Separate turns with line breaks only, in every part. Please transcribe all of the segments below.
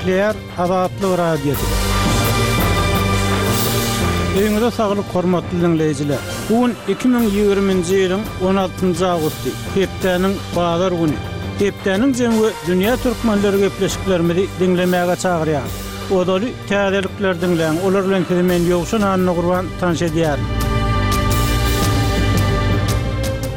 Gepleýär Azatlyk Radiosy. Öýüňize saglyk hormatly diňleýjiler! Bu gün 2020-nji ýylyň 16-njy awgusty, hepdäniň bazar güni. Hepdäniň jemi we dünýä türkmenleri gepleşiklerimizi diňlemäge çagyrýarys. Ozaly täzelikleri diňläň, olar bilen sizi men Ýowşan Annagurban tanyş edýärin.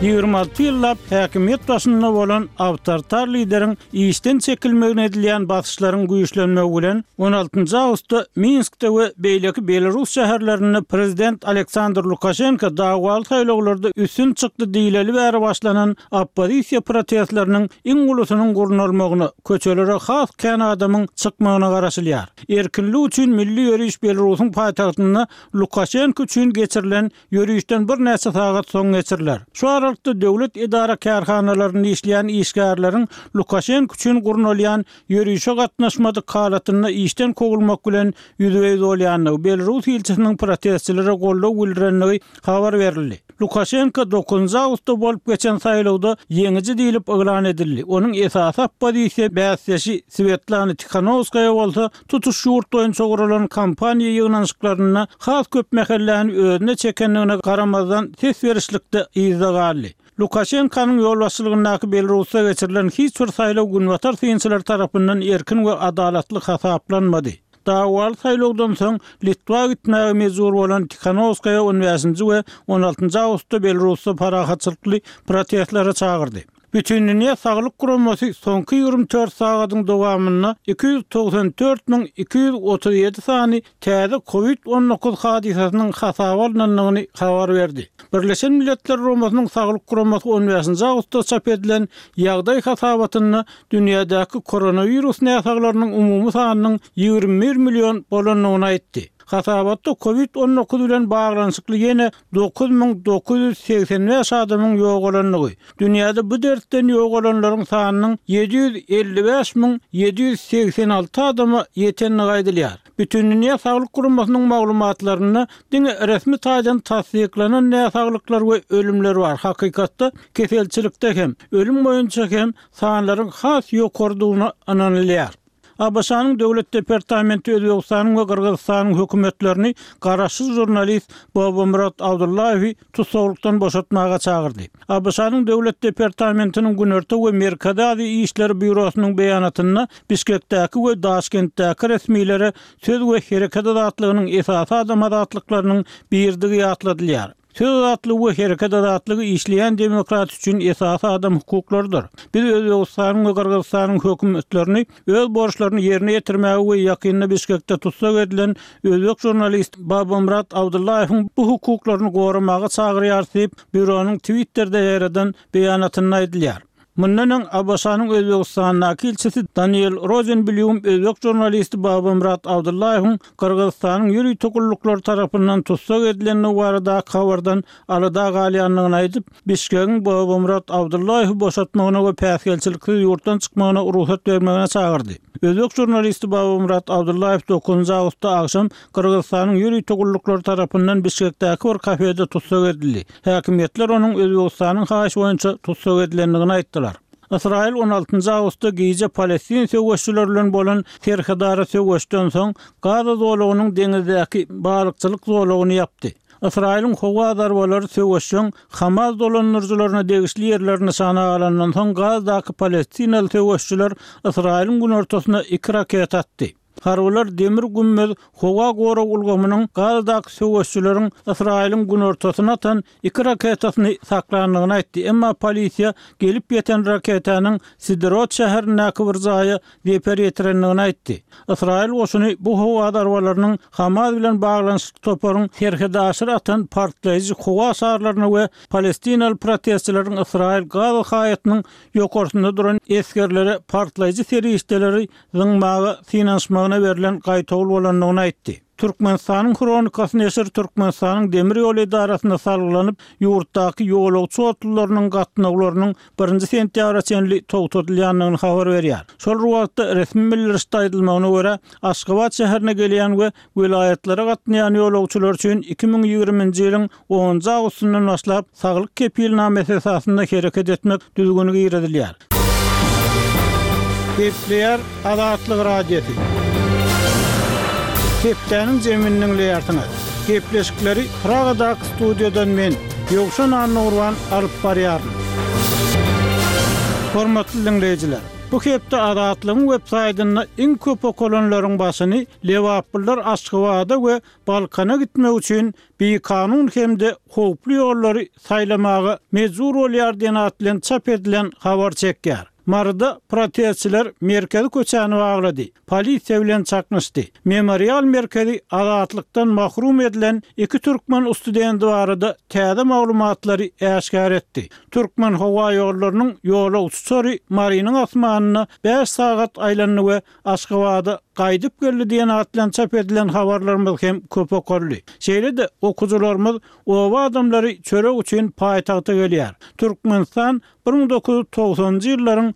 26 ýyllap häkimiýet başynda bolan awtoritar lideriň işden çekilmegine edilýän basyşlaryň güýçlenmegi bilen, on altynjy awgustda Minskde we beýleki belarus şäherlerinde prezident Aleksandr Lukaşenko dawaly saýlawlarda üstün çykdy diýleli bäri başlanan oppozisiýa protestleriniň iň ulusynyň gurnalmagyna, köçelere has kän adamyň çykmagyna garaşylýar. Erkinlik üçin milli ýöriş Belarusyň paýtagtynda Lukaşenko üçin geçirilen ýörişden birnäçe sagat soň geçiriler. Şu aralykda döwlet edara-kärhanalarynda işleýän işgärleriň Lukaşenko üçin gurnalýan ýörişe gatnaşmadyk halatynda işden kowulmak bilen ýüzbe-ýüz bolýandygy, belarus ilçisiniň protestçilere goldaw bildirendigi habar berildi. Lukaşenko dokuzynjy awgustda bolup geçen saýlawda ýeňiji diýlip yglan edildi. Onuň esasy oppozisiýa bäsdeşi Swetlana Tihanowskaýa bolsa tutuş ýurt boýunça guralan kampaniýa ýygnanyşyklarynda has köp mähelläni özüne çekendigine garamazdan ses berişlikde yzda galdy. Lukaşenkonyň ýolbaşçylygyndaky Belarusda geçirilen hiç bir saýlaw günbatar synçylary tarapyndan erkin we adalatly hasaplanmady. Dawaly saýlawdan soň Litwa gitmäge mejbur bolan Tihanowskaýa on bäşinji we on altynjy awgustda Belarusda parahatçylykly protestlere çagyrdy. Bütindünýä Saglyk Guramasy soňky 24 sagadyň dowamynda 294 237 sany täze Covid 19 hadysasynyň hasaba alnandygyny habar berdi. Birleşen Milletler Guramasynyň Saglyk Guramasy on bäşinji awgustda çap edilen ýagdaý hasabatynda dünýädäki koronawirus näsaglarynyň umumy sanynyň 21 million bolandygyny aýtdy. Hasabatda Covid 19 bilen baglanyşykly ýene 9985 adamyň ýogalandygy, dünýäde bu dertden ýogalanlaryň sanynyň 755 786 adama ýetendigi aýdylýar. Bütindünýä Saglyk Guramasynyň maglumatlarynda diňe resmi taýdan tassyklanan näsaglyklar we ölümler bar, hakykatda keselçilikde hem, ölüm boýunça hem sanlaryň has ýokarydygyna ynanylýar. ABŞ-nyň Döwlet departamenti Özbegistanyň we Gyrgyzystanyň hökümetlerini garaşsyz žurnalist Bobomurad Abdullaýewi tussaglykdan boşatmaga çagyrdy. ABŞ-nyň Döwlet departamentiniň Günorta we Merkezi Aziýa işleri býurosynyň beýanatynda Bişkekdäki we Daşkentdäki resmilere söz we hereket azatlygynyň esasy adam azatlyklarynyň biridigi ýatladylýar. Söz azatlygy we hereket azatlygy işleýän demokratiýa üçin esasy adam hukuklarydyr. Biz Özbegistanyň we Gyrgyzystanyň hökümetlerini öz borçlaryny ýerine ýetirmäge we ýakynda Bişkekde tussag edilen özbek žurnalisti Babamyrat Abdullaýewiň bu hukuklaryny goramaga çagyrýarys diýip, býuronyň Twitterde ýaýradan beýanatynda aýdylýar. Mundan öň, ABŞ-nyň Özbegistandaky ilçisi Daniel Rozenblýum özbek žurnalisti Babamyrat Abdullaýewiň Gyrgyzystanyň ýörite gulluklary tarapyndan tussag edilendigi baradaky habardan alada galýandygyny aýdyp, Bişkegiň Babamyrat Abdullaýewi boşatmagyna we päsgelçiliksiz ýurtdan çykmagyna rugsat bermegine çagyrdy. Özbek žurnalisti Babamyrat Abdullaýew dokuzynjy awgustda agşam Gyrgyzystanyň ýörite gulluklary tarapyndan Bişkekdäki bir kafede tussag edildi. Häkimiýetler onuň Özbegistanyň haýyşy boýunça tussag edilendigini aýtdylar. Ysraýyl on altynjy awgustda gije palestin söweşçileri bilen bolan serhedara söweşden soň Gaza zolagynyň deňizdäki balykçylyk zolagyny ýapdy. Ysraýylyň howa zarbalary söweşjeň Hamas dolandyryjylaryna degişli ýerleri nyşana alandan soň Gazadaky palestinaly söweşçiler Ysraýylyň günortasyna iki raketa atdy. Harbylar Demir gümmez howa gorag ulgamynyň Gazadaky söweşçileriň Ysraýylyň günortasyna atan iki raketasyny saklandygyny aýtdy, emma polisiýa gelip ýeten raketanyň Siderot şäherindäki bir jaýa zeper ýetirendigini aýtdy. Ysraýyl goşuny bu howa zarbalarynyň Hamas bilen baglanyşykly toparyň serhetaşyr atan partlaýjy howa şarlaryna we palestinaly protestçileriň Ysraýyl-Gaza haýatynyň ýokarsynda duran esgerlere partlaýjy serişdeleri zyňmaga synanyşmagyna berlen gaýtawul bolandygyny aýtdy. Türkmenistanyň Hronikasy neşiri Türkmenistanyň demir ýol edarasyna salgylanyp, ýurtdaky ýolagçy otlularynyň gatnawlarynyň birinji sentýabra çenli togtadylýandygyny habar berýär. Şol bir wagtda, resmi bildirişde aýdylmagyna görä, Aşgabat şäherine gelýän we welaýatlara gatnaýan ýolagçylar üçin 2020-nji ýylyň Onunjy awgustyndan başlap, saglyk kepilnamesi esasynda hereket etmek düzgüni girizilýär. Gepleýär Azatlyk Radiosy. Hepdäniň jemini diňleýärsiňiz. Gepleşikleri Pragadaky studiýadan men, Ýowşan Annagurban alyp barýaryn. Hormatly diňleýjiler, bu hepde Azatlygyň websaýtynda iň köp okalanlaryň başyny lebaplylar Aşgabada we Balkana gitmek üçin bikanun hem-de howply ýollary saýlamaga mejbur bolýar diýen at bilen çap edilen habar çekýär. Maryda protestçiler merkezi köçäni baglady, polisiýa bilen çaknyşdy. Memorial merkezi azatlykdan mahrum edilen iki türkmen studenti barada täze maglumatlary äşgär etdi. Türkmenhowaýollarynyň ýolagçy uçary Marynyň asmanynda bäş sagat aýlandy we Aşgabada gaýdyp geldi diýen at bilen çap edilen habarlarymyz hem köp okaldy. Şeýle-de, okyjylarymyz oba adamlary çörek üçin paýtagta gelýär. Türkmenistan 1990-njy ýyllaryň.